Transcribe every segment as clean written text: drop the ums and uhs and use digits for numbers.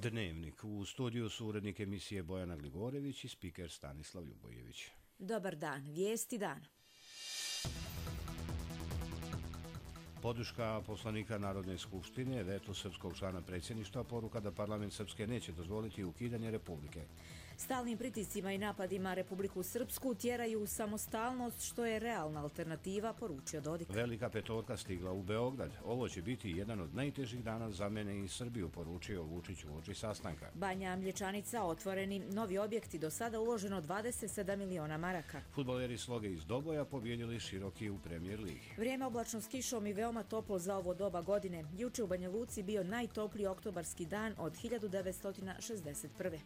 Dnevnik. U studiju su urednik emisije Bojana Gligorević i spiker Stanislav Ljubojević. Dobar dan, vijesti dana. Podrška poslanika Narodne skupštine, vetu srpskog člana predsjedništva, poruka da parlament Srpske neće dozvoliti ukidanje Republike. Stalnim pritiscima i napadima Republiku Srpsku tjeraju u samostalnost, što je realna alternativa, poručio Dodik. Velika petorka stigla u Beograd. Ovo će biti jedan od najtežih dana za mene i Srbiju, poručio Vučić uoči sastanka. Banja Mlječanica, otvoreni novi objekti, do sada uloženo 27 miliona maraka. Fudbaleri Sloge iz Doboja pobjedili Široki u Premier ligi. Vrijeme oblačno s kišom i veoma toplo za ovo doba godine. Juče u Banja Luci bio najtopliji oktobarski dan od 1961.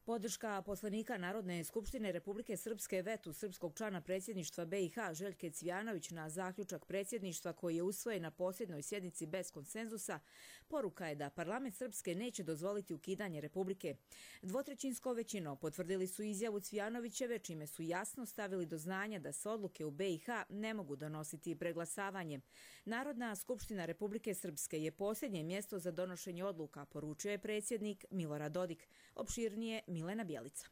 Podrška poslanika Narodne skupštine Republike Srpske vetu srpskog člana predsjedništva BiH Željke Cvijanović na zaključak predsjedništva koji je usvojen na posljednjoj sjednici bez konsenzusa, poruka je da parlament Srpske neće dozvoliti ukidanje Republike. Dvotrećinskom većinom potvrdili su izjavu Cvijanovićeve, čime su jasno stavili do znanja da se odluke u BiH ne mogu donositi preglasavanjem. Narodna skupština Republike Srpske je posljednje mjesto za donošenje odluka, poručio je predsjednik Milorad Dodik. Opširnije Milena Bjelica.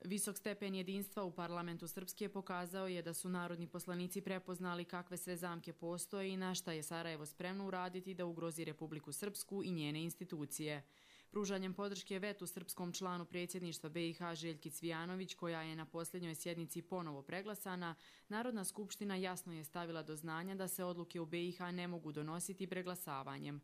Visok stepen jedinstva u parlamentu Srpske pokazao je da su narodni poslanici prepoznali kakve sve zamke postoje i na šta je Sarajevo spremno uraditi da ugrozi Republiku Srpsku i njene institucije. Pružanjem podrške vetu srpskom članu predsjedništva BiH Željki Cvijanović, koja je na posljednjoj sjednici ponovo preglasana, Narodna skupština jasno je stavila do znanja da se odluke u BiH ne mogu donositi preglasavanjem.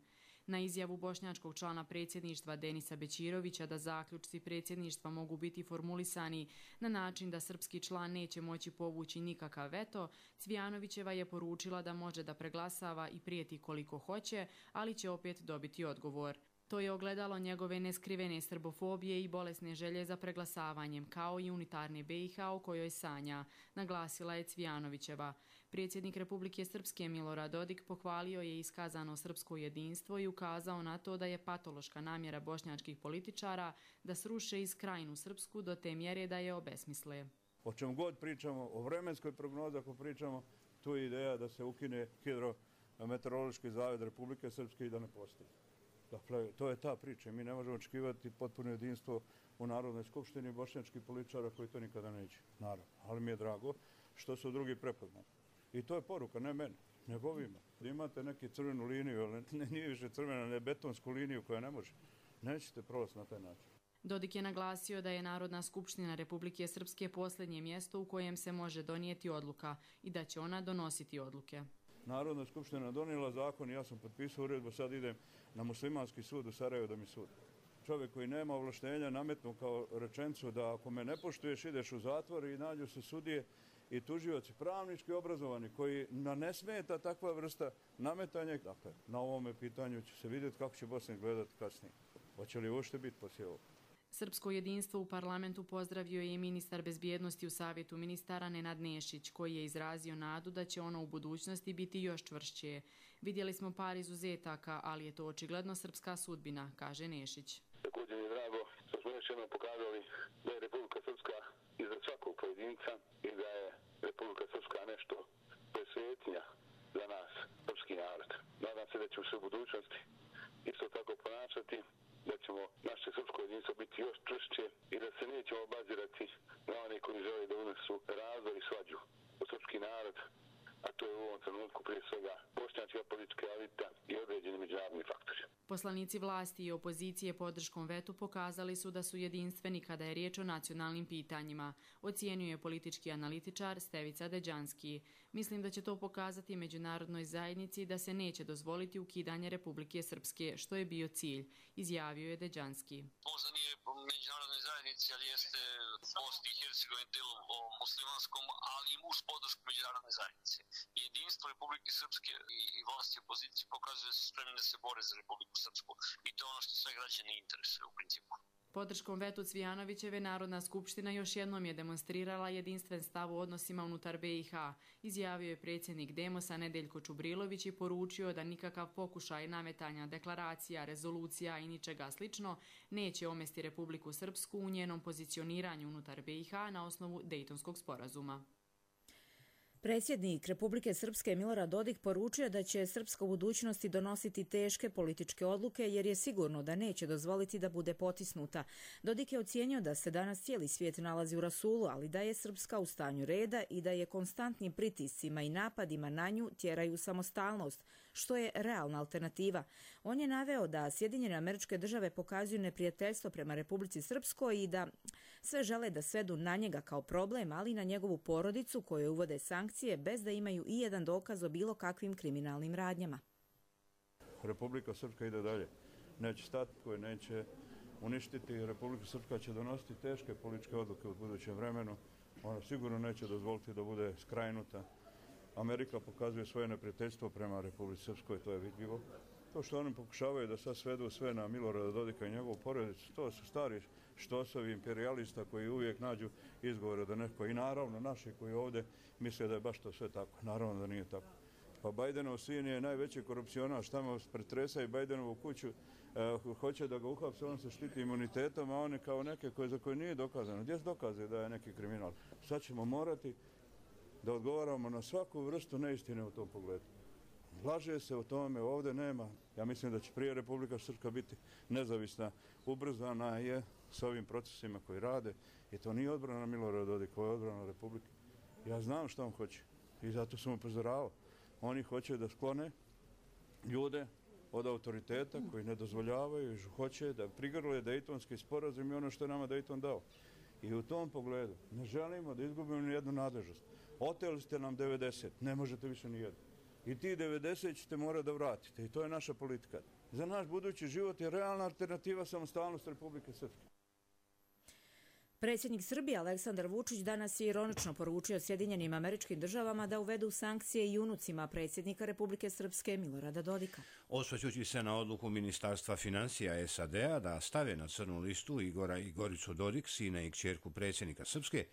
Na izjavu bošnjačkog člana predsjedništva Denisa Bećirovića da zaključci predsjedništva mogu biti formulisani na način da srpski član neće moći povući nikakav veto, Cvijanovićeva je poručila da može da preglasava i prijeti koliko hoće, ali će opet dobiti odgovor. To je ogledalo njegove neskrivene srbofobije i bolesne želje za preglasavanjem, kao i unitarne BiH o kojoj sanja, naglasila je Cvijanovićeva. Predsjednik Republike Srpske Milorad Dodik pohvalio je iskazano srpsko jedinstvo i ukazao na to da je patološka namjera bošnjačkih političara da sruše iz Krajinu Srpsku do te mjere da je obesmisle. O čem god pričamo, o vremenskoj prognozi ako pričamo, tu je ideja da se ukine Hidrometeorološki zavod Republike Srpske i da ne postoji. Dakle, to je ta priča. Mi ne možemo očekivati potpuno jedinstvo u Narodnoj skupštini bošnjačkih političara koji to nikada neće. Naravno. Ali mi je drago što su drugi prepoznali. I to je poruka, ne meni, nego ovima. Imate neki crvenu liniju, ali nije više crvena, ne betonsku liniju koja ne može. Nećete prolaz na taj način. Dodik je naglasio da je Narodna skupština Republike Srpske posljednje mjesto u kojem se može donijeti odluka i da će ona donositi odluke. Narodna skupština donijela zakon i ja sam potpisao uredbu, sad idem na muslimanski sud u Sarajevo da mi sudi. Čovjek koji nema ovlaštenja nametnu kao rečenicu da ako me ne poštuješ ideš u zatvor i nađu se sudije i tužioci pravnički obrazovani koji ne smeta takva vrsta nametanja. Dakle, na ovome pitanju će se vidjeti kako će Bosna izgledati kasnije. Hoće li uopšte biti poslije ovog? Srpsko jedinstvo u parlamentu pozdravio je i ministar bezbjednosti u Savjetu ministara Nenad Nešić, koji je izrazio nadu da će ono u budućnosti biti još čvršće. Vidjeli smo par izuzetaka, ali je to očigledno srpska sudbina, kaže Nešić. Također je drago što smo još jednom pokazali da je Republika Srpska iznad svakog pojedinca i da je Republika Srpska nešto presvetnja za nas, srpski narod. Nadam se da ćemo se u budućnosti isto tako ponašati, da ćemo naše srpsko jedinstvo biti još čvršće i da se nećemo obazirati na one koji žele da unesu razdor i svađu u srpski narod, a to je u ovom trenutku prije svega bošnjačka politička elita i određeni međunarodni faktori. Poslanici vlasti i opozicije podrškom vetu pokazali su da su jedinstveni kada je riječ o nacionalnim pitanjima, ocijenio je politički analitičar Stevica Deđanski. Mislim da će to pokazati međunarodnoj zajednici da se neće dozvoliti ukidanje Republike Srpske, što je bio cilj, izjavio je Deđanski. Možda nije međunarodnoj zajednici, ali jeste Bosni i Hercegovini delu muslimanskom, ali i uz podršku međunarodne zajednice. Jedinstvo Republike Srpske i vlasti i opozicije pokazuje da su spremni da se bore za Republiku Srpsku i to je ono što sve građane interesuje u principu. Podrškom vetu Cvijanovićeve Narodna skupština još jednom je demonstrirala jedinstven stav u odnosima unutar BiH. Izjavio je predsjednik Demosa Nedeljko Čubrilović i poručio da nikakav pokušaj nametanja deklaracija, rezolucija i ničega slično neće omesti Republiku Srpsku u njenom pozicioniranju unutar BiH na osnovu Dejtonskog sporazuma. Predsjednik Republike Srpske Milorad Dodik poručio da će Srpska u budućnosti donositi teške političke odluke jer je sigurno da neće dozvoliti da bude potisnuta. Dodik je ocijenio da se danas cijeli svijet nalazi u rasulu, ali da je Srpska u stanju reda i da je konstantnim pritiscima i napadima na nju tjeraju samostalnost, što je realna alternativa. On je naveo da Sjedinjene Američke Države pokazuju neprijateljstvo prema Republici Srpskoj i da sve žele da svedu na njega kao problem, ali i na njegovu porodicu koju uvode sankcije bez da imaju i jedan dokaz o bilo kakvim kriminalnim radnjama. Republika Srpska ide dalje. Neće stati, koje neće uništiti. Republika Srpska će donositi teške političke odluke u budućem vremenu. Ona sigurno neće dozvoliti da bude skrajnuta. Amerika pokazuje svoje neprijateljstvo prema Republici Srpskoj, to je vidljivo. To što oni pokušavaju da sad svedu sve na Milorada Dodika i njegovu porodicu, to su stari štosovi imperijalista koji uvijek nađu izgovore da neko, i naravno naši koji ovdje misle da je baš to sve tako. Naravno da nije tako. Pa Bajdenov sin je najveći korupcionaš, tamo pretresa i Bajdenovu kuću, hoće da ga uhapse, on se štiti imunitetom, a on je kao neke za koje nije dokazano. Gdje se dokaze da je neki kriminal? Sad ćemo morati da odgovaramo na svaku vrstu neistine u tom pogledu. Laže se o tome, ovdje nema. Ja mislim da će prije Republika Srpska biti nezavisna, ubrzana je s ovim procesima koji rade. I to nije odbrana Milorada Dodika, ovo je odbrana Republike. Ja znam što on hoće i zato sam upozoravao. Oni hoće da sklone ljude od autoriteta koji ne dozvoljavaju i hoće da prigrle Dejtonski sporazum i ono što je nama Dejton dao. I u tom pogledu ne želimo da izgubimo ni jednu nadležnost. Oteli ste nam 90, ne možete više ni jednu. I ti 90 ćete morati da vratite. I to je naša politika. Za naš budući život je realna alternativa samostalnost Republike Srpske. Predsjednik Srbije Aleksandar Vučić danas je ironično poručio Sjedinjenim Američkim Državama da uvedu sankcije i unucima predsjednika Republike Srpske Milorada Dodika. Osvrćući se na odluku Ministarstva financija SAD-a da stave na crnu listu Igora i Goricu Dodik, sina i kćerku predsjednika Srpske,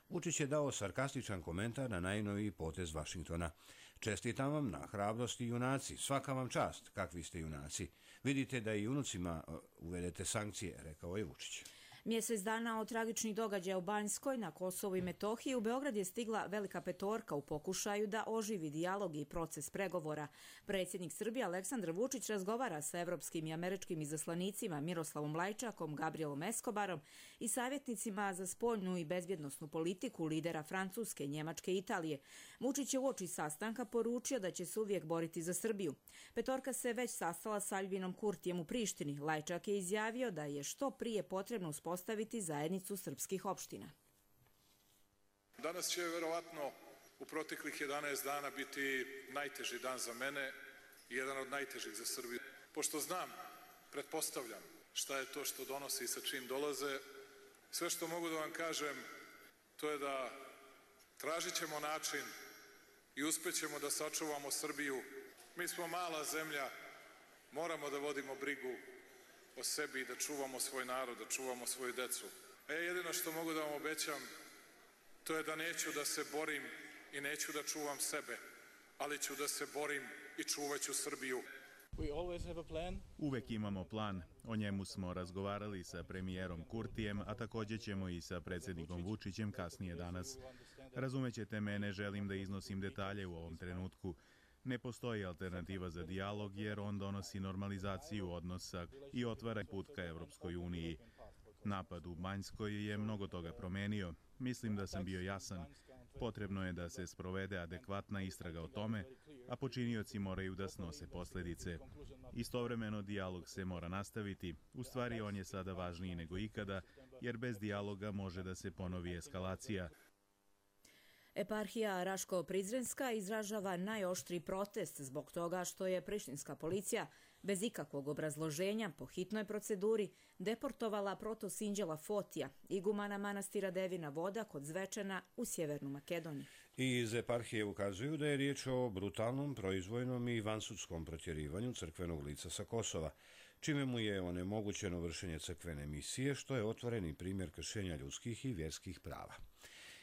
Vučić je dao sarkastičan komentar na najnoviji potez Vašingtona. Čestitam vam na hrabrosti junaci, svaka vam čast, kakvi ste junaci. Vidite da i unucima uvedete sankcije, rekao je Vučić. Mjesec dana od tragičnih događaja u Banjskoj na Kosovu i Metohiji u Beograd je stigla velika petorka u pokušaju da oživi dijalog i proces pregovora. Predsjednik Srbije Aleksandar Vučić razgovara sa evropskim i američkim izaslanicima Miroslavom Lajčakom, Gabrielom Eskobarom i savjetnicima za spoljnu i bezbjednosnu politiku lidera Francuske, Njemačke i Italije. Vučić je uoči sastanka poručio da će se uvijek boriti za Srbiju. Petorka se već sastala sa Albinom Kurtijem u Prištini. Lajčak je izjavio da je što prije potrebno uspostaviti zajednicu srpskih opština. Danas će verovatno u proteklih 11 dana biti najteži dan za mene i jedan od najtežih za Srbiju. Pošto znam, pretpostavljam šta je to što donosi i sa čim dolaze, sve što mogu da vam kažem to je da tražit ćemo način i uspećemo da sačuvamo Srbiju. Mi smo mala zemlja, moramo da vodimo brigu o sebi i da čuvamo svoj narod, da čuvamo svoju decu. Jedino što mogu da vam obećam, to je da neću da se borim i neću da čuvam sebe, ali ću da se borim i čuvaću Srbiju. Uvek imamo plan. O njemu smo razgovarali sa premijerom Kurtijem, a također ćemo i sa predsjednikom Vučićem kasnije danas. Razumećete me, ne želim da iznosim detalje u ovom trenutku. Ne postoji alternativa za dijalog jer on donosi normalizaciju odnosa i otvara put ka Evropskoj uniji. Napad u Banjskoj je mnogo toga promenio. Mislim da sam bio jasan. Potrebno je da se sprovede adekvatna istraga o tome, a počinioci moraju da snose posljedice. Istovremeno dijalog se mora nastaviti. U stvari on je sada važniji nego ikada, jer bez dijaloga može da se ponovi eskalacija. Eparhija Raško-Prizrenska izražava najoštriji protest zbog toga što je prištinska policija bez ikakvog obrazloženja po hitnoj proceduri deportovala protosinđela Fotija, igumana manastira Devina Voda kod Zvečana u Sjevernu Makedoniju. Iz eparhije ukazuju da je riječ o brutalnom, proizvoljnom i vansudskom protjerivanju crkvenog lica sa Kosova, čime mu je onemogućeno vršenje crkvene misije, što je otvoreni primjer kršenja ljudskih i vjerskih prava.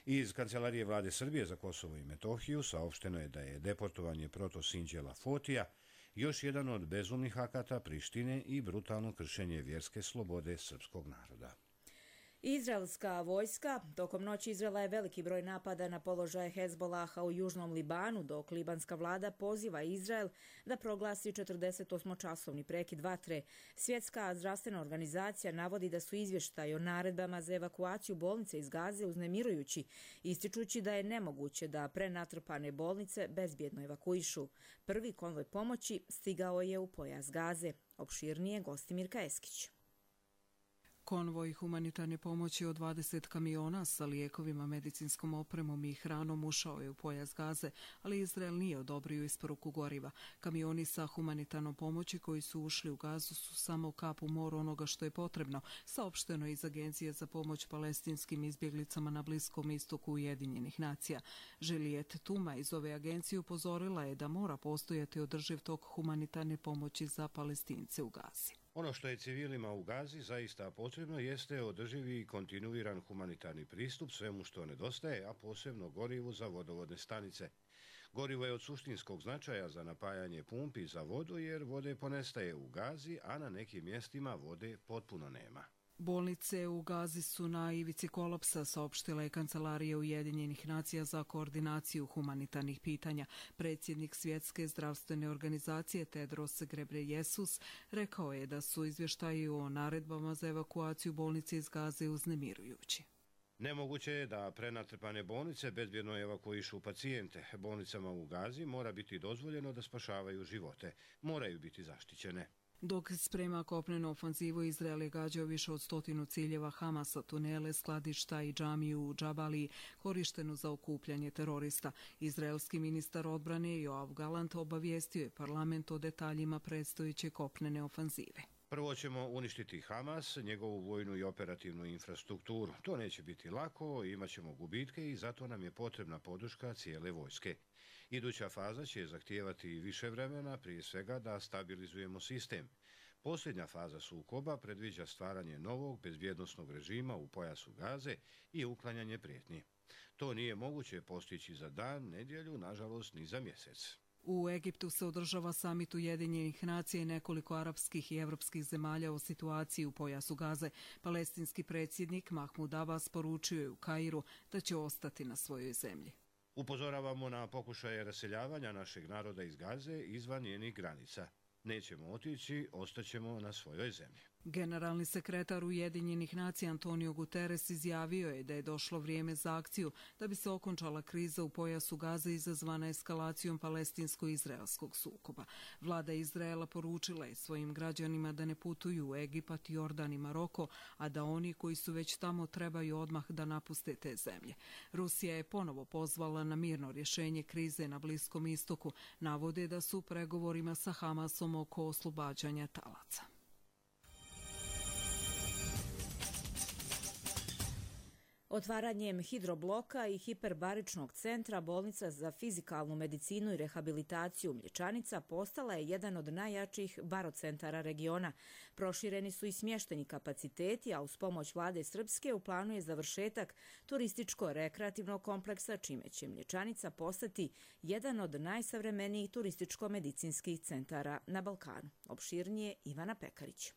Iz Kancelarije vlade Srbije za Kosovo i Metohiju saopšteno je da je deportovanje protosinđela Fotija još jedan od bezumnih akata Prištine i brutalno kršenje vjerske slobode srpskog naroda. Izraelska vojska tokom noći izvela je veliki broj napada na položaje Hezbolaha u južnom Libanu, dok libanska vlada poziva Izrael da proglasi 48-časovni prekid vatre. Svjetska zdravstvena organizacija navodi da su izvještaji o naredbama za evakuaciju bolnice iz Gaze uznemirujući, ističući da je nemoguće da prenatrpane bolnice bezbjedno evakuišu. Prvi konvoj pomoći stigao je u pojas Gaze. Opširnije Gostimirka Eskić. Konvoj humanitarne pomoći od 20 kamiona sa lijekovima, medicinskom opremom i hranom ušao je u pojas Gaze, ali Izrael nije odobrio isporuku goriva. Kamioni sa humanitarnom pomoći koji su ušli u Gazu su samo kap u moru onoga što je potrebno, saopšteno iz Agencije za pomoć palestinskim izbjeglicama na Bliskom istoku Ujedinjenih nacija. Juliette Tuma iz ove agencije upozorila je da mora postojati održiv tok humanitarne pomoći za Palestince u Gazi. Ono što je civilima u Gazi zaista potrebno jeste održivi i kontinuiran humanitarni pristup svemu što nedostaje, a posebno gorivu za vodovodne stanice. Gorivo je od suštinskog značaja za napajanje pumpi za vodu jer vode ponestaje u Gazi, a na nekim mjestima vode potpuno nema. Bolnice u Gazi su na ivici kolapsa, saopštila je Kancelarija Ujedinjenih nacija za koordinaciju humanitarnih pitanja. Predsjednik Svjetske zdravstvene organizacije Tedros Ghebreyesus rekao je da su izvještaji o naredbama za evakuaciju bolnice iz Gaze uznemirujući. Nemoguće je da prenatrpane bolnice bezbjedno evakuišu pacijente. Bolnicama u Gazi mora biti dozvoljeno da spašavaju živote. Moraju biti zaštićene. Dok sprema kopnenu ofanzivu, Izrael je gađao više od 100 ciljeva Hamasa, tunele, skladišta i džamiju u Džabaliji, korištenu za okupljanje terorista. Izraelski ministar odbrane Joav Galant obavijestio je parlament o detaljima predstojeće kopnene ofanzive. Prvo ćemo uništiti Hamas, njegovu vojnu i operativnu infrastrukturu. To neće biti lako, imat ćemo gubitke i zato nam je potrebna podrška cijele vojske. Iduća faza će zahtijevati više vremena, prije svega da stabilizujemo sistem. Posljednja faza sukoba predviđa stvaranje novog bezbjednosnog režima u pojasu Gaze i uklanjanje prijetnji. To nije moguće postići za dan, nedjelju, nažalost ni za mjesec. U Egiptu se održava samit Ujedinjenih nacija i nekoliko arapskih i evropskih zemalja o situaciji u pojasu Gaze. Palestinski predsjednik Mahmud Abbas poručio je u Kairu da će ostati na svojoj zemlji. Upozoravamo na pokušaje raseljavanja našeg naroda iz Gaze izvan njenih granica. Nećemo otići, ostaćemo na svojoj zemlji. Generalni sekretar Ujedinjenih nacija Antonio Guterres izjavio je da je došlo vrijeme za akciju da bi se okončala kriza u pojasu Gaze izazvana eskalacijom palestinsko-izraelskog sukoba. Vlada Izraela poručila je svojim građanima da ne putuju u Egipat, Jordan i Maroko, a da oni koji su već tamo trebaju odmah da napuste te zemlje. Rusija je ponovo pozvala na mirno rješenje krize na Bliskom istoku. Navode da su u pregovorima sa Hamasom oko oslobađanja talaca. Otvaranjem hidrobloka i hiperbaričnog centra bolnica za fizikalnu medicinu i rehabilitaciju Mlječanica postala je jedan od najjačih barocentara regiona. Prošireni su i smješteni kapaciteti, a uz pomoć vlade Srpske u planu je završetak turističko-rekreativnog kompleksa, čime će Mlječanica postati jedan od najsavremenijih turističko-medicinskih centara na Balkanu. Opširnije Ivana Pekarić.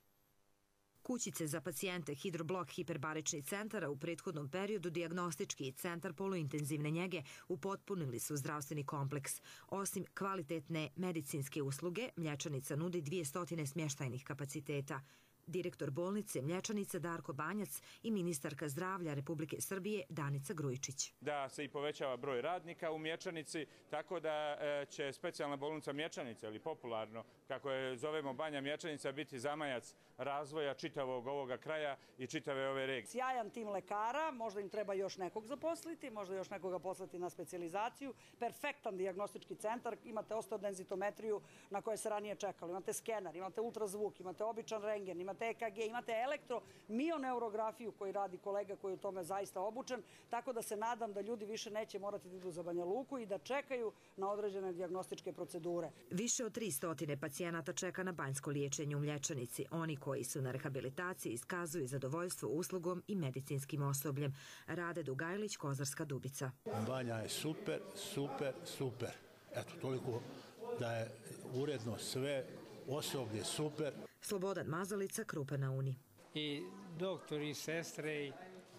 Kućice za pacijente, hidroblok, hiperbarični centar, a u prethodnom periodu dijagnostički centar poluintenzivne njege upotpunili su zdravstveni kompleks. Osim kvalitetne medicinske usluge, Mlječanica nudi 200 smještajnih kapaciteta. Direktor bolnice Mlječanica Darko Banjac i ministarka zdravlja Republike Srbije Danica Grujičić. Da se i povećava broj radnika u Mlječanici, tako da će specijalna bolnica Mlječanica, ili popularno, kako je zovemo Banja Mlječanica, biti zamajac razvoja čitavog ovoga kraja i čitave ove regije. Sjajan tim lekara, možda im treba još nekog zaposliti, možda još nekoga poslati na specijalizaciju. Perfektan dijagnostički centar, imate osteo-denzitometriju na koje se ranije čekalo, imate skener, imate ultrazvuk, imate običan rentgen, imate EKG, imate elektro-mioneurografiju koji radi kolega koji je u tome zaista obučen, tako da se nadam da ljudi više neće morati da idu za Banja Luku i da čekaju na određene dijagnostičke procedure. Više od 300 pacijenata čeka na banjsko liječenje u Mlječanici. Oni koji su na rehabilitaciji iskazuju zadovoljstvo uslugom i medicinskim osobljem. Rade Dugajlić, Kozarska Dubica. Banja je super, super, super. Eto, toliko da je uredno sve, osoblje super. Slobodan Mazalica, Krupa na Uni. I doktori, i sestre,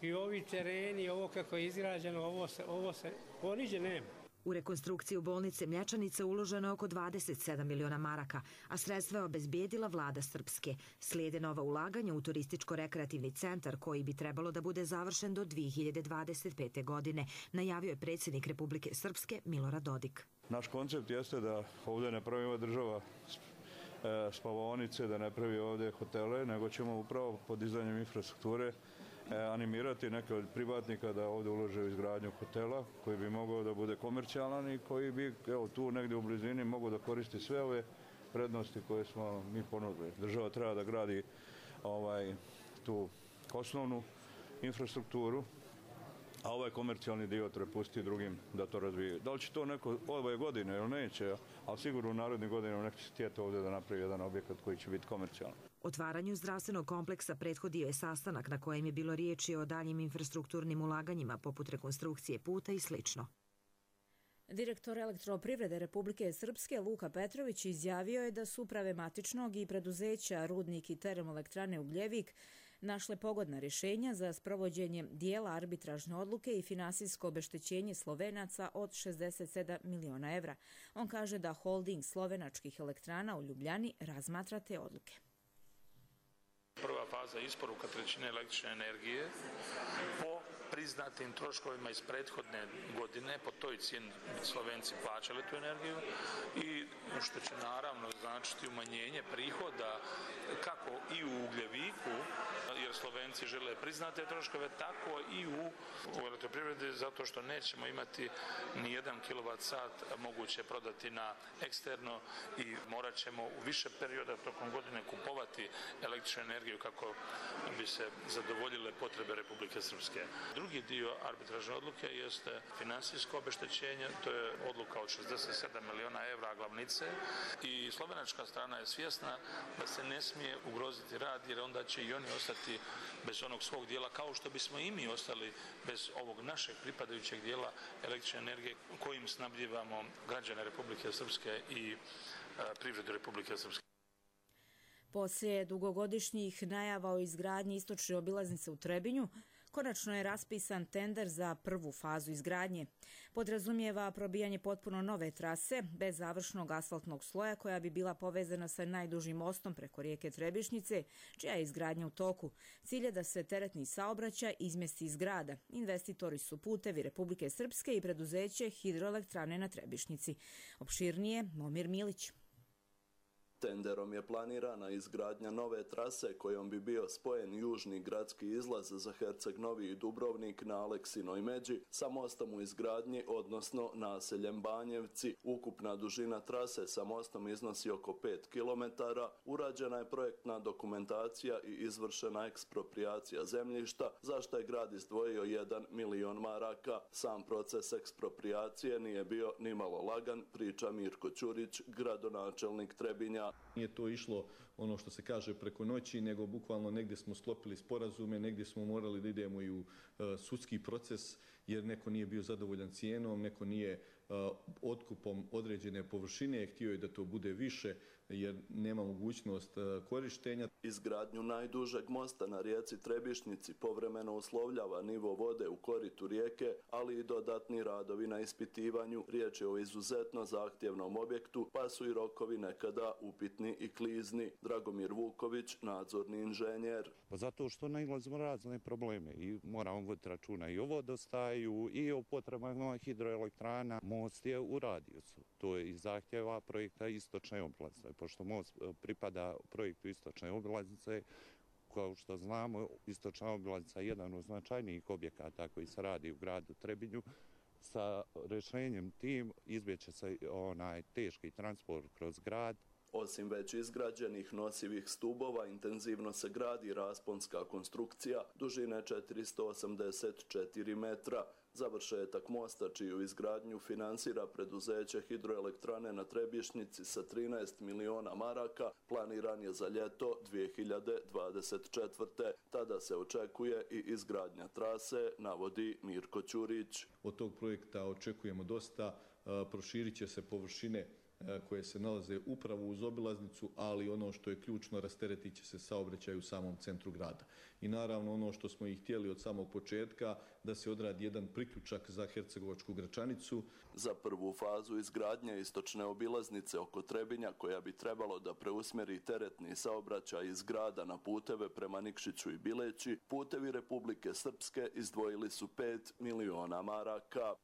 I ovi tereni, ovo kako je izgrađeno, ovo se poniđe nema. U rekonstrukciju bolnice Mlječanica uloženo je oko 27 miliona maraka, a sredstva je obezbijedila vlada Srpske. Slijede nova ulaganja u turističko-rekreativni centar koji bi trebalo da bude završen do 2025. godine, najavio je predsjednik Republike Srpske Milorad Dodik. Naš koncept jeste da ovdje ne pravi ova država spavaonice, da ne pravi ovdje hotele, nego ćemo upravo podizanjem infrastrukture animirati neke od privatnika da ovdje ulože u izgradnju hotela koji bi mogao da bude komercijalan i koji bi tu negdje u blizini mogao da koristi sve ove prednosti koje smo mi ponudili. Država treba da gradi tu osnovnu infrastrukturu, a ovaj komercijalni dio treba pustiti drugim da to razvije. Da li će to neko ove godine ili neće, ali sigurno u narednih godina neko će htjeti ovdje da napravi jedan objekat koji će biti komercijalan. Otvaranju zdravstvenog kompleksa prethodio je sastanak na kojem je bilo riječi o daljim infrastrukturnim ulaganjima poput rekonstrukcije puta i sl. Direktor Elektroprivrede Republike Srpske Luka Petrović izjavio je da su uprave matičnog i preduzeća Rudnik i termoelektrane Ugljevik našle pogodna rješenja za sprovođenje dijela arbitražne odluke i finansijsko obeštećenje Slovenaca od 67 miliona evra. On kaže da holding slovenačkih elektrana u Ljubljani razmatra te odluke. Prva faza isporuka trećine električne energije po priznatim troškovima iz prethodne godine, po toj cijeni Slovenci plaćali tu energiju i što će naravno značiti umanjenje prihoda kako i u Ugljeviku, jer Slovenci žele priznate troškove, tako i u elektroprivredi, zato što nećemo imati ni 1 kWh moguće prodati na eksterno i morat ćemo u više perioda tokom godine kupovati električnu energiju kako bi se zadovoljile potrebe Republike Srpske. Drugi dio arbitražne odluke jeste finansijsko obeštećenje, to je odluka od 67 miliona evra glavnice i slovenačka strana je svjesna da se ne smije ugroziti rad jer onda će i oni ostati bez onog svog dijela kao što bismo i mi ostali bez ovog našeg pripadajućeg dijela električne energije kojim snabdjevamo građane Republike Srpske i privredu Republike Srpske. Poslije dugogodišnjih najava o izgradnji istočne obilaznice u Trebinju, konačno je raspisan tender za prvu fazu izgradnje. Podrazumijeva probijanje potpuno nove trase, bez završnog asfaltnog sloja koja bi bila povezana sa najdužim mostom preko rijeke Trebišnjice, čija je izgradnja u toku. Cilj je da se teretni saobraćaj izmjesti iz grada. Investitori su Putevi Republike Srpske i preduzeće Hidroelektrane na Trebišnjici. Opširnije, Momir Milić. Tenderom je planirana izgradnja nove trase kojom bi bio spojen južni gradski izlaz za Herceg Novi i Dubrovnik na Aleksinoj međi sa mostom u izgradnji, odnosno naseljem Banjevci. Ukupna dužina trase sa mostom iznosi oko 5 km. Urađena je projektna dokumentacija i izvršena eksproprijacija zemljišta, za što je grad izdvojio 1 milion maraka. Sam proces eksproprijacije nije bio nimalo lagan, priča Mirko Ćurić, gradonačelnik Trebinja. Nije to išlo ono što se kaže preko noći, nego bukvalno negdje smo sklopili sporazume, negdje smo morali da idemo i u sudski proces jer neko nije bio zadovoljan cijenom, neko nije otkupom određene površine, htio je da to bude više jer nema mogućnost korištenja. Izgradnju najdužeg mosta na rijeci Trebišnjici povremeno uslovljava nivo vode u koritu rijeke, ali i dodatni radovi na ispitivanju. Riječ je o izuzetno zahtjevnom objektu, pa su i rokovi nekada upitni i klizni. Dragomir Vuković, nadzorni inženjer. Zato što nailazimo razne probleme i moramo voditi računa i o vodostaju i o potrebama hidroelektrana. Most je u radijusu. To je i zahtjeva projekta istočne obilaznice. Pošto most pripada projektu istočne obilaznice, kao što znamo, istočna obilaznica je jedan od značajnijih objekata koji se radi u gradu Trebinju. Sa rješenjem tim izbjeće se onaj teški transport kroz grad. Osim već izgrađenih nosivih stubova, intenzivno se gradi rasponska konstrukcija dužine 484 metra. Završetak mosta, čiju izgradnju finansira preduzeće Hidroelektrane na Trebišnjici sa 13 miliona maraka, planiran je za ljeto 2024. Tada se očekuje i izgradnja trase, navodi Mirko Ćurić. Od tog projekta očekujemo dosta, proširit će se površine koje se nalaze upravo uz obilaznicu, ali ono što je ključno, rasteretit će se saobraćaj u samom centru grada. I naravno ono što smo i htjeli od samog početka, da se odradi jedan priključak za Hercegovačku Gračanicu. Za prvu fazu izgradnje istočne obilaznice oko Trebinja, koja bi trebalo da preusmjeri teretni saobraćaj iz grada na puteve prema Nikšiću i Bileći, Putevi Republike Srpske izdvojili su 5 miliona maraka.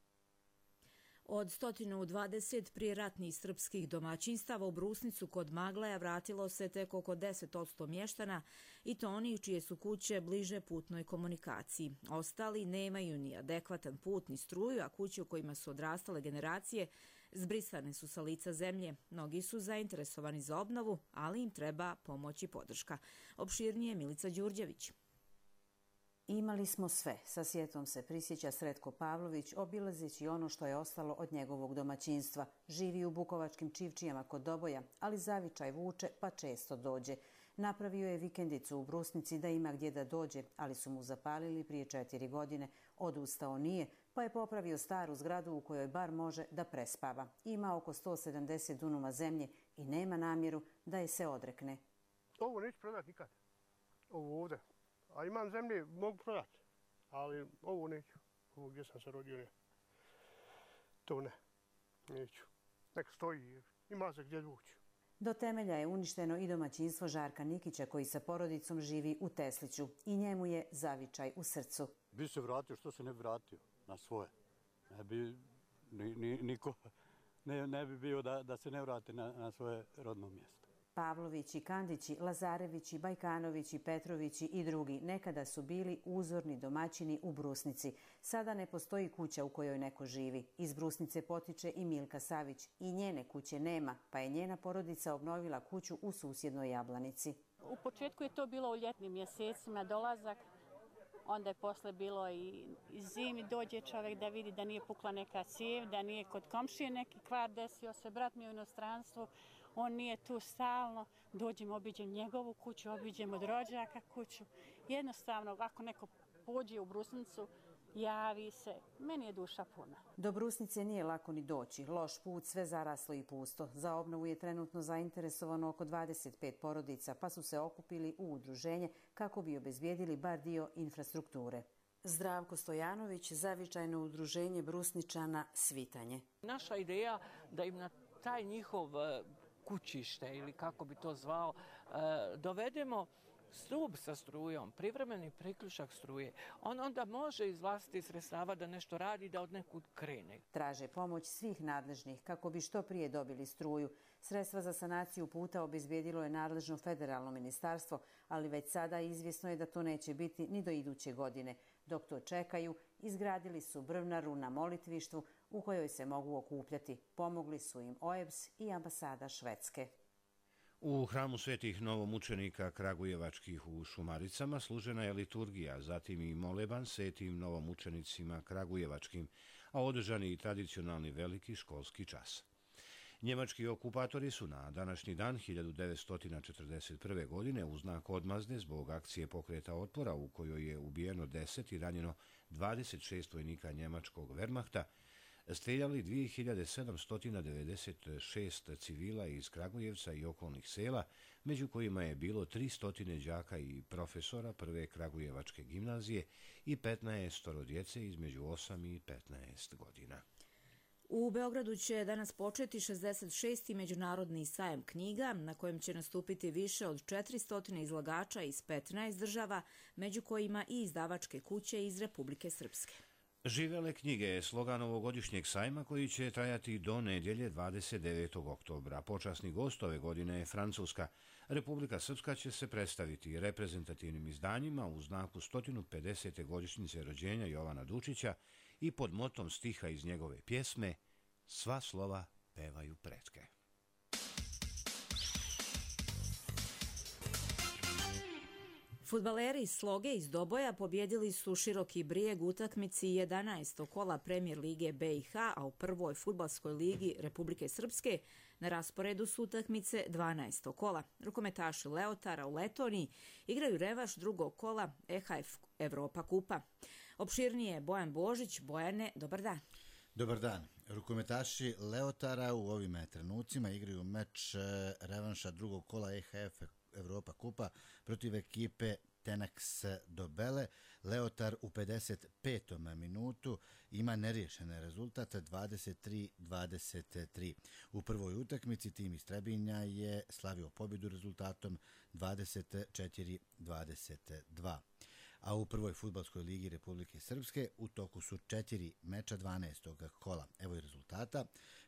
Od 120 prijeratnih srpskih domaćinstava u Brusnicu kod Maglaja vratilo se tek oko 10% mještana, i to onih čije su kuće bliže putnoj komunikaciji. Ostali nemaju ni adekvatan put ni struju, a kuće u kojima su odrastale generacije zbrisane su sa lica zemlje. Mnogi su zainteresovani za obnovu, ali im treba pomoć i podrška. Opširnije Milica Đurđević. Imali smo sve, sa sjetom se prisjeća Sretko Pavlović, obilazeći ono što je ostalo od njegovog domaćinstva. Živi u bukovačkim Čivčijama kod Doboja, ali zavičaj vuče pa često dođe. Napravio je vikendicu u Brusnici da ima gdje da dođe, ali su mu zapalili prije 4 godine. Odustao nije, pa je popravio staru zgradu u kojoj bar može da prespava. Ima oko 170 dunuma zemlje i nema namjeru da je se odrekne. Ovo neću prodati nikad. Ovo ovdje. A imam zemlje, mogu prodati, ali ovo neću. Ovo gdje sam se rodio, ne. To ne, neću. Nek stoji, ima se gdje vući. Do temelja je uništeno i domaćinstvo Žarka Nikića, koji sa porodicom živi u Tesliću. I njemu je zavičaj u srcu. Bi se vratio, što se ne bi vratio na svoje. Ne bi niko ne bi bio da se ne vrati na svoje rodno mjesto. Pavlovići, Kandići, Lazarevići, Bajkanovići, Petrovići i drugi nekada su bili uzorni domaćini u Brusnici. Sada ne postoji kuća u kojoj neko živi. Iz Brusnice potiče i Milka Savić. I njene kuće nema, pa je njena porodica obnovila kuću u susjednoj Jablanici. U početku je to bilo u ljetnim mjesecima dolazak, onda je posle bilo i zimi dođe čovjek da vidi da nije pukla neka cijev, da nije kod komšije neki kvar desio se, brat mi u inostranstvu. On nije tu stalno, dođemo, obiđemo njegovu kuću, obiđemo od rođaka kuću. Jednostavno, ako neko pođe u Brusnicu, javi se, meni je duša puna. Do Brusnice nije lako ni doći. Loš put, sve zaraslo i pusto. Za obnovu je trenutno zainteresovano oko 25 porodica, pa su se okupili u udruženje kako bi obezbijedili bar dio infrastrukture. Zdravko Stojanović, zavičajno udruženje Brusničana Svitanje. Naša ideja da im na taj njihov kućište ili kako bi to zvao, dovedemo stup sa strujom, privremeni priključak struje. On onda može iz vlastitih sredstava da nešto radi, da od nekud krene. Traže pomoć svih nadležnih kako bi što prije dobili struju. Sredstva za sanaciju puta obezbijedilo je nadležno federalno ministarstvo, ali već sada izvjesno je da to neće biti ni do iduće godine. Dok to čekaju, izgradili su brvnaru na molitvištvu u kojoj se mogu okupljati. Pomogli su im OEBS i ambasada Švedske. U hramu svetih novomučenika Kragujevačkih u Šumaricama služena je liturgija, zatim i moleban svetim novomučenicima Kragujevačkim, a održan je i tradicionalni veliki školski čas. Njemački okupatori su na današnji dan 1941. godine u znak odmazde zbog akcije pokreta otpora u kojoj je ubijeno 10 i ranjeno 26 vojnika njemačkog Wehrmachta, streljali 2796 civila iz Kragujevca i okolnih sela, među kojima je bilo 300 đaka i profesora prve Kragujevačke gimnazije i 15 djece između 8 i 15 godina. U Beogradu će danas početi 66. međunarodni sajam knjiga, na kojem će nastupiti više od 400 izlagača iz 15 država, među kojima i izdavačke kuće iz Republike Srpske. Živele knjige je slogan ovogodišnjeg sajma koji će trajati do nedjelje 29. oktobra. Počasni gost ove godine je Francuska. Republika Srpska će se predstaviti reprezentativnim izdanjima u znaku 150. godišnjice rođenja Jovana Dučića i pod motom stiha iz njegove pjesme "Sva slova pevaju pretke". Fudbaleri iz Sloge iz Doboja pobjedili su Široki Brijeg u utakmici 11. kola Premijer lige BiH, a u prvoj fudbalskoj ligi Republike Srpske na rasporedu su utakmice 12. kola. Rukometaši Leotara u Letoniji igraju revaš drugog kola EHF Evropa kupa. Opširnije Bojan Božić. Bojane, dobar dan. Dobar dan. Rukometaši Leotara u ovim trenucima igraju meč revanša drugog kola EHF Evropa kupa protiv ekipe Tenax Dobele. Leotar u 55. minutu ima neriješen rezultat 23-23. U prvoj utakmici tim iz Trebinja je slavio pobjedu rezultatom 24-22. A u prvoj fudbalskoj ligi Republike Srpske u toku su 4 meča 12. kola. Evo i rezultata.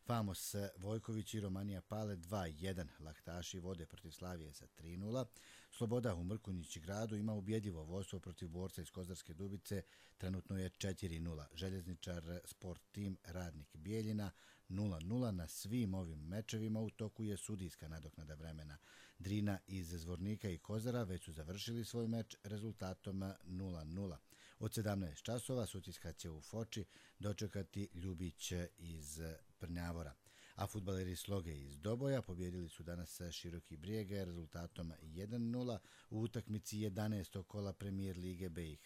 Famos Vojković i Romanija Pale 2-1. Laktaši vode protiv Slavije sa 3-0. Sloboda u Mrkonjić gradu ima ubjedljivo vodstvo protiv Borca iz Kozarske Dubice. Trenutno je 4-0. Željezničar Sport Tim Radnik Bijeljina 0-0. Na svim ovim mečevima u toku je sudijska nadoknada vremena. Drina iz Zvornika i Kozara već su završili svoj meč rezultatom 0-0. Od 17 časova Sutjeska će u Foči dočekati Ljubić iz Prnjavora. A fudbaleri Sloge iz Doboja pobjedili su danas Široki Brijeg rezultatom 1-0 u utakmici 11. kola Premijer Lige BiH.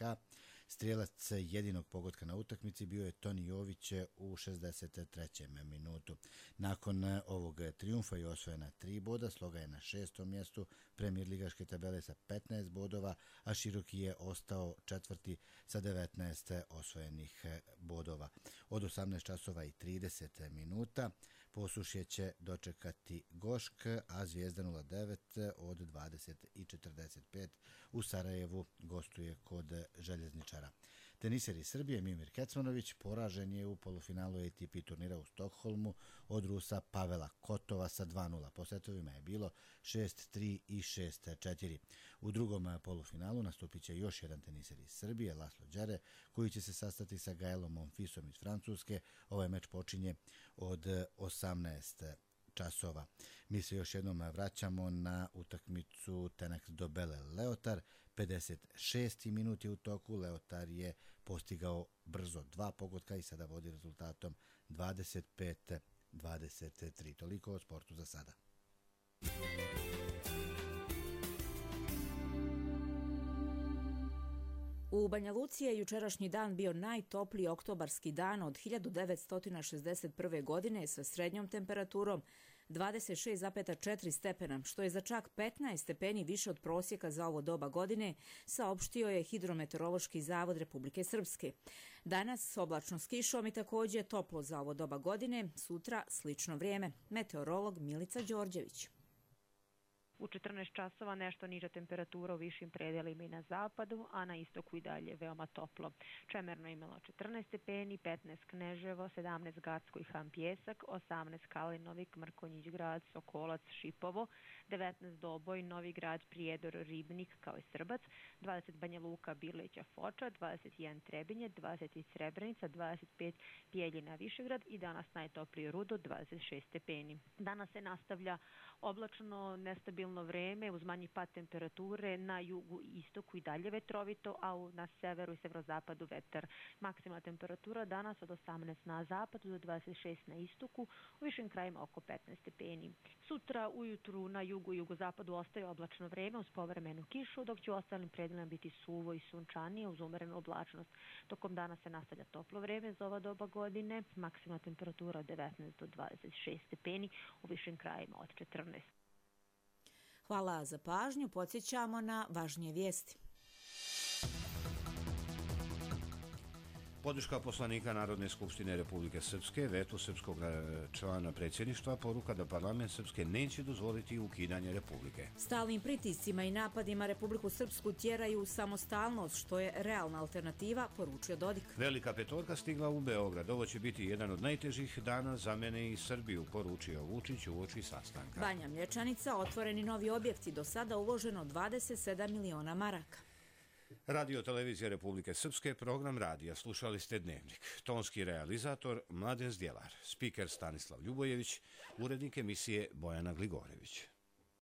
Strijelac jedinog pogotka na utakmici bio je Toni Jović u 63. minutu. Nakon ovog trijumfa je osvojena 3 boda, Sloga je na 6. mjestu Premijer ligaške tabele sa 15 bodova, a Široki je ostao četvrti sa 19 osvojenih bodova. Od 18 časova i 30 minuta Posušje će dočekati Gošk, a Zvijezda 09 od 20:45 u Sarajevu gostuje kod Željezničara. Teniser iz Srbije Mimir Kecmanović poražen je u polufinalu ATP turnira u Stokholmu od Rusa Pavela Kotova sa 2:0. Po setovima je bilo 6-3 i 6-4. U drugom polufinalu nastupit će još jedan teniser iz Srbije, Laslo Đere, koji će se sastati sa Gaelom Monfisom iz Francuske. Ovaj meč počinje od 18 časova. Mi se još jednom vraćamo na utakmicu Tenax Dobele Leotar. 56. minut je u toku. Leotar je postigao brzo 2 pogotka i sada vodi rezultatom 25-23. Toliko o sportu za sada. U Banja Luci je jučerašnji dan bio najtopliji oktobarski dan od 1961. godine sa srednjom temperaturom 26,4 stepena, što je za čak 15 stepeni više od prosjeka za ovo doba godine, saopštio je Hidrometeorološki zavod Republike Srpske. Danas oblačno s kišom i također toplo za ovo doba godine, sutra slično vrijeme. Meteorolog Milica Đorđević. U 14 časova nešto niža temperatura u višim predelima i na zapadu, a na istoku i dalje veoma toplo. Čemerno je imalo 14 stepeni, 15 Kneževo, 17 Gacko i Han Pjesak, 18 Kalinovik, Mrkonjić grad, Sokolac, Šipovo, 19 Doboj, Novi grad, Prijedor, Ribnik kao i Srbac, 20 Banja Luka, Birleća, Foča, 21 Trebinje, 20 Srebrenica, 25 Bijeljina, Višegrad i danas najtoplije Rudo, 26 stepeni. Danas se nastavlja oblačno, nestabilno vreme uz manji pad temperature, na jugu i istoku i dalje vetrovito, a na severu i severozapadu vetar. Maksimalna temperatura danas od 18 na zapadu do 26 na istoku, u višim krajima oko 15 stepeni. Sutra ujutru na jugu i jugozapadu ostaje oblačno vreme uz povremenu kišu, dok će u ostalim predelima biti suvo i sunčanije uz umerenu oblačnost. Tokom dana se nastavlja toplo vreme za ova doba godine, maksimalna temperatura od 19 do 26 stepeni, u višim krajima od 14. Hvala za pažnju. Podsjećamo na važnije vijesti. Podrška poslanika Narodne skupštine Republike Srpske vetu srpskog člana predsjedništva poruka da parlament Srpske neće dozvoliti ukidanje Republike. Stalnim pritiscima i napadima Republiku Srpsku tjeraju u samostalnost, što je realna alternativa, poručio Dodik. Velika petorka stigla u Beograd. Ovo će biti jedan od najtežih dana za mene i Srbiju, poručio Vučić uoči sastanka. Banja Mlječanica, otvoreni novi objekti, do sada uloženo 27 miliona maraka. Radio Televizija Republike Srpske, program radija. Slušali ste Dnevnik. Tonski realizator Mladen Zdjelar, spiker Stanislav Ljubojević, urednik emisije Bojana Gligorević.